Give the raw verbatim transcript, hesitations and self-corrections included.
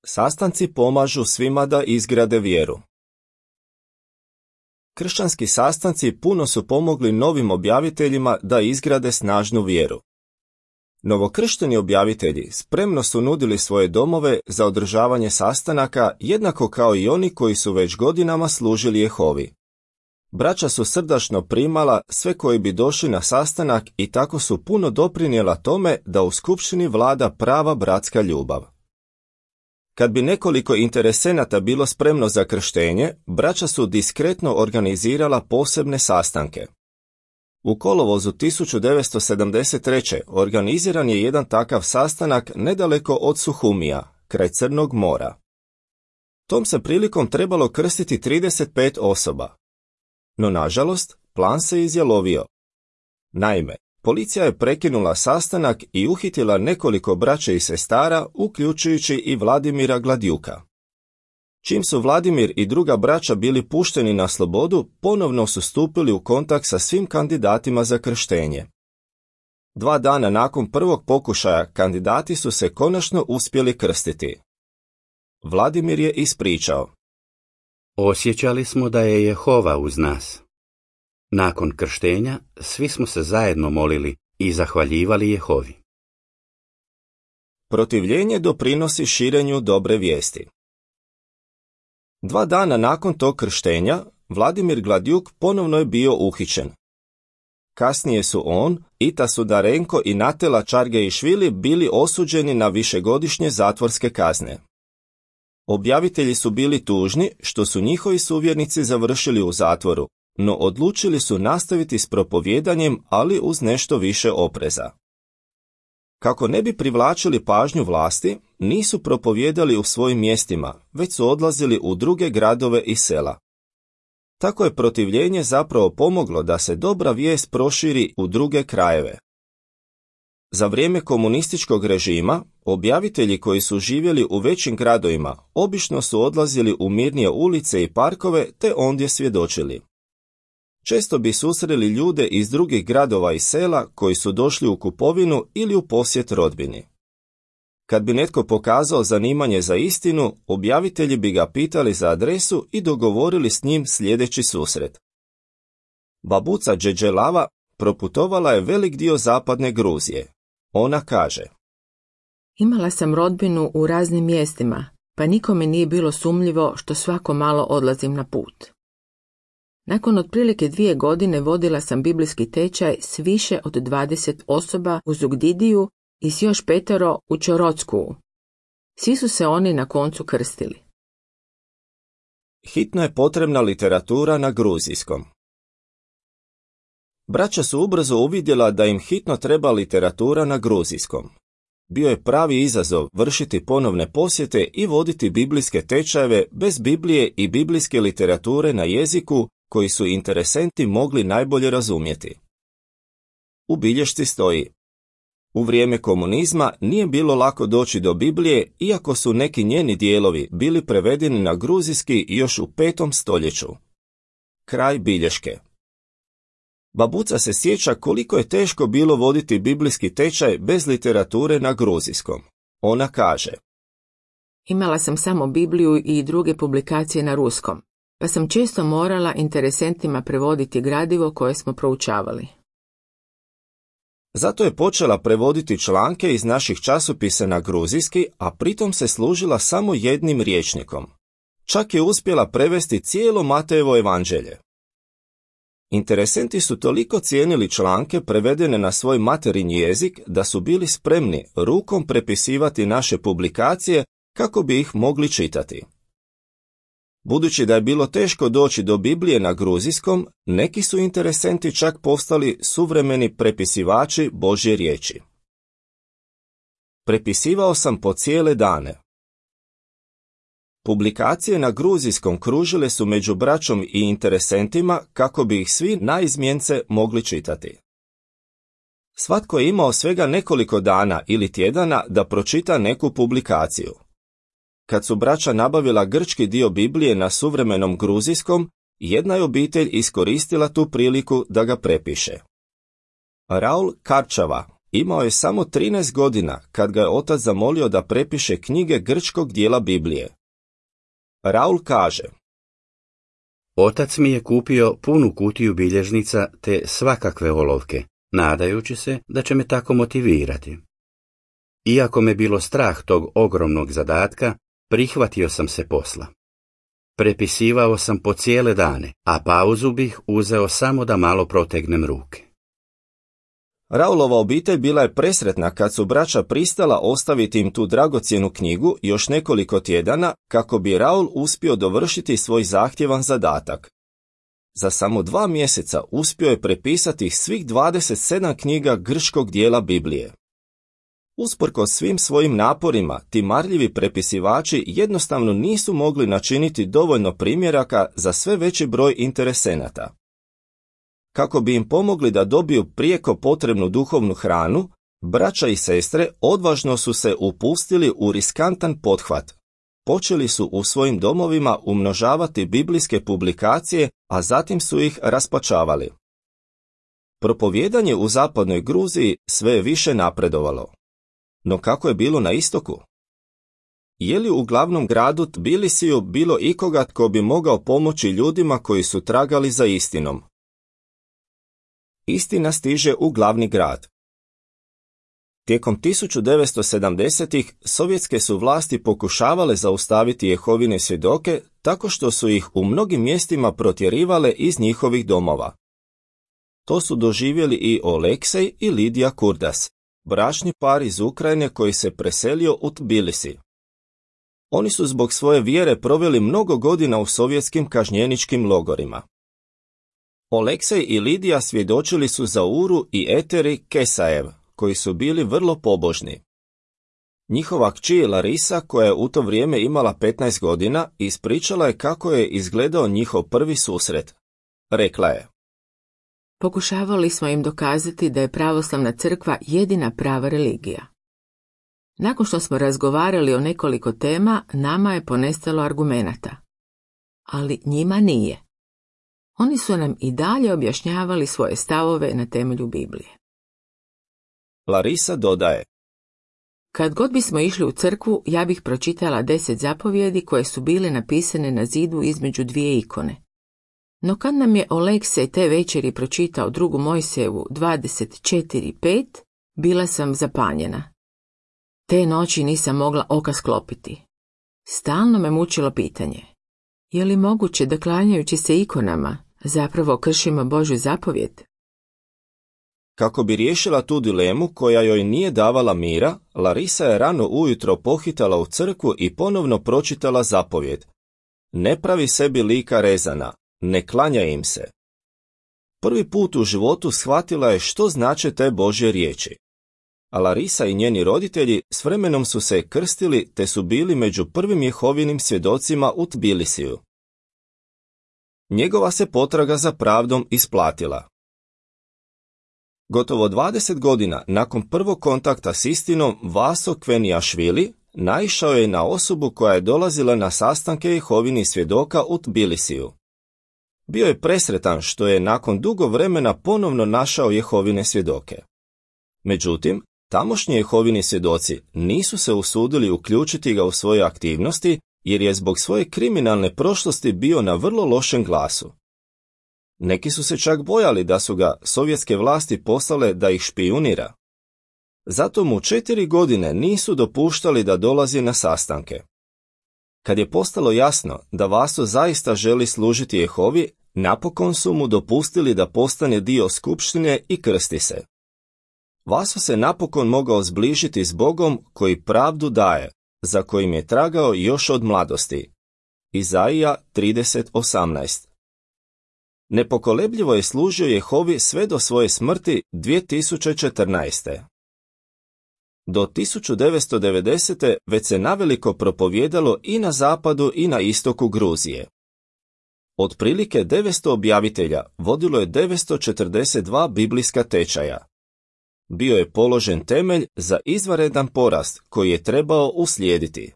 Sastanci pomažu svima da izgrade vjeru. Kršćanski sastanci puno su pomogli novim objaviteljima da izgrade snažnu vjeru. Novokršteni objavitelji spremno su nudili svoje domove za održavanje sastanaka, jednako kao i oni koji su već godinama služili Jehovi. Braća su srdačno primala sve koji bi došli na sastanak i tako su puno doprinijela tome da u skupštini vlada prava bratska ljubav. Kad bi nekoliko interesenata bilo spremno za krštenje, braća su diskretno organizirala posebne sastanke. U kolovozu tisuću devetsto sedamdeset treće. organiziran je jedan takav sastanak nedaleko od Suhumija, kraj Crnog mora. Tom se prilikom trebalo krstiti trideset pet osoba. No nažalost, plan se izjalovio. Naime, policija je prekinula sastanak i uhitila nekoliko braće i sestara, uključujući i Vladimira Gladjuka. Čim su Vladimir i druga braća bili pušteni na slobodu, ponovno su stupili u kontakt sa svim kandidatima za krštenje. Dva dana nakon prvog pokušaja kandidati su se konačno uspjeli krstiti. Vladimir je ispričao: Osjećali smo da je Jehova uz nas. Nakon krštenja svi smo se zajedno molili i zahvaljivali Jehovi. Protivljenje doprinosi širenju dobre vijesti. Dva dana nakon tog krštenja, Vladimir Gladjuk ponovno je bio uhićen. Kasnije su on, Ita Sudarenko i Natela Čargeišvili bili osuđeni na višegodišnje zatvorske kazne. Objavitelji su bili tužni što su njihovi suvjernici završili u zatvoru, no odlučili su nastaviti s propovjedanjem, ali uz nešto više opreza. Kako ne bi privlačili pažnju vlasti, nisu propovjedali u svojim mjestima, već su odlazili u druge gradove i sela. Tako je protivljenje zapravo pomoglo da se dobra vijest proširi u druge krajeve. Za vrijeme komunističkog režima, objavitelji koji su živjeli u većim gradovima obično su odlazili u mirnije ulice i parkove te ondje svjedočili. Često bi susreli ljude iz drugih gradova i sela koji su došli u kupovinu ili u posjet rodbini. Kad bi netko pokazao zanimanje za istinu, objavitelji bi ga pitali za adresu i dogovorili s njim sljedeći susret. Babuca Džeđelava proputovala je velik dio zapadne Gruzije. Ona kaže: Imala sam rodbinu u raznim mjestima, pa nikome nije bilo sumnjivo što svako malo odlazim na put. Nakon otprilike dvije godine vodila sam biblijski tečaj s više od dvadeset osoba u Zugdidiju i s još petero u Čorocku. Svi su se oni na koncu krstili. Hitno je potrebna literatura na gruzijskom. Braća su ubrzo uvidjela da im hitno treba literatura na gruzijskom. Bio je pravi izazov vršiti ponovne posjete i voditi biblijske tečajeve bez Biblije i biblijske literature na jeziku koji su interesenti mogli najbolje razumjeti. U bilješci stoji: u vrijeme komunizma nije bilo lako doći do Biblije, iako su neki njeni dijelovi bili prevedeni na gruzijski još u petom stoljeću. Kraj bilješke. Babuca se sjeća koliko je teško bilo voditi biblijski tečaj bez literature na gruzijskom. Ona kaže: Imala sam samo Bibliju i druge publikacije na ruskom, pa sam često morala interesentima prevoditi gradivo koje smo proučavali. Zato je počela prevoditi članke iz naših časopisa na gruzijski, a pritom se služila samo jednim rječnikom. Čak je uspjela prevesti cijelo Matejevo evanđelje. Interesenti su toliko cijenili članke prevedene na svoj materinji jezik da su bili spremni rukom prepisivati naše publikacije kako bi ih mogli čitati. Budući da je bilo teško doći do Biblije na gruzijskom, neki su interesenti čak postali suvremeni prepisivači Božje riječi. Prepisivao sam po cijele dane. Publikacije na gruzijskom kružile su među braćom i interesentima kako bi ih svi naizmjence mogli čitati. Svatko je imao svega nekoliko dana ili tjedana da pročita neku publikaciju. Kad su braća nabavila grčki dio Biblije na suvremenom gruzijskom, jedna je obitelj iskoristila tu priliku da ga prepiše. Raul Karčava, Imao je samo trinaest godina kad ga je otac zamolio da prepiše knjige grčkog dijela Biblije. Raul kaže: Otac mi je kupio punu kutiju bilježnica te svakakve olovke, nadajući se da će me tako motivirati. Iako me bilo strah tog ogromnog zadatka, prihvatio sam se posla. Prepisivao sam po cijele dane, a pauzu bih uzeo samo da malo protegnem ruke. Raulova obitelj bila je presretna kad su braća pristala ostaviti im tu dragocjenu knjigu još nekoliko tjedana kako bi Raul uspio dovršiti svoj zahtjevan zadatak. Za samo dva mjeseca uspio je prepisati svih dvadeset sedam knjiga grčkog dijela Biblije. Usprkos svim svojim naporima, ti marljivi prepisivači jednostavno nisu mogli načiniti dovoljno primjeraka za sve veći broj interesenata. Kako bi im pomogli da dobiju prijeko potrebnu duhovnu hranu, braća i sestre odvažno su se upustili u riskantan pothvat. Počeli su u svojim domovima umnožavati biblijske publikacije, a zatim su ih raspačavali. Propovijedanje u zapadnoj Gruziji sve je više napredovalo. No kako je bilo na istoku? Je li u glavnom gradu Tbilisiju bilo ikoga tko bi mogao pomoći ljudima koji su tragali za istinom? Istina stiže u glavni grad. Tijekom tisuću devetsto sedamdesetih sovjetske su vlasti pokušavale zaustaviti Jehovine svjedoke tako što su ih u mnogim mjestima protjerivale iz njihovih domova. To su doživjeli i Oleksej i Lidija Kurdas, bračni par iz Ukrajine koji se preselio u Tbilisi. Oni su zbog svoje vjere proveli mnogo godina u sovjetskim kažnjeničkim logorima. Oleksej i Lidija svjedočili su za Uru i Eteri Kesajev, koji su bili vrlo pobožni. Njihova kći Larisa, koja je u to vrijeme imala petnaest godina, ispričala je kako je izgledao njihov prvi susret. Rekla je: Pokušavali smo im dokazati da je pravoslavna crkva jedina prava religija. Nakon što smo razgovarali o nekoliko tema, nama je ponestalo argumenata. Ali njima nije. Oni su nam i dalje objašnjavali svoje stavove na temelju Biblije. Larisa dodaje: Kad god bismo išli u crkvu, ja bih pročitala deset zapovjedi koje su bile napisane na zidu između dvije ikone. No kad nam je Oleksej te večeri pročitao drugu Mojsijevu dvadeset četiri pet, bila sam zapanjena. Te noći nisam mogla oka sklopiti. Stalno me mučilo pitanje: je li moguće da klanjajući se ikonama zapravo kršimo Božju zapovjed? Kako bi riješila tu dilemu koja joj nije davala mira, Larisa je rano ujutro pohitala u crkvu i ponovno pročitala zapovjed: ne pravi sebi lika rezana, ne klanjaj im se. Prvi put u životu shvatila je što znače te Božje riječi. A Larisa i njeni roditelji s vremenom su se krstili te su bili među prvim Jehovinim svjedocima u Tbilisiju. Njegova se potraga za pravdom isplatila. Gotovo dvadeset godina nakon prvog kontakta s istinom, Vaso Kvenijašvili naišao je na osobu koja je dolazila na sastanke Jehovinih svjedoka u Tbilisiju. Bio je presretan što je nakon dugo vremena ponovno našao Jehovine svjedoke. Međutim, tamošnji Jehovini svjedoci nisu se usudili uključiti ga u svoje aktivnosti jer je zbog svoje kriminalne prošlosti bio na vrlo lošem glasu. Neki su se čak bojali da su ga sovjetske vlasti poslale da ih špijunira. Zato mu četiri godine nisu dopuštali da dolazi na sastanke. Kad je postalo jasno da Vaso zaista želi služiti Jehovi, napokon su mu dopustili da postane dio skupštine i krsti se. Vaso se napokon mogao zbližiti s Bogom koji pravdu daje, za kojim je tragao još od mladosti. Izaija trideset osamnaest. Nepokolebljivo je služio Jehovi sve do svoje smrti dvije tisuće četrnaeste. Do tisuću devetsto devedesete. već se naveliko propovijedalo i na zapadu i na istoku Gruzije. Otprilike devetsto objavitelja vodilo je devetsto četrdeset dva biblijska tečaja. Bio je položen temelj za izvanredan porast koji je trebao uslijediti.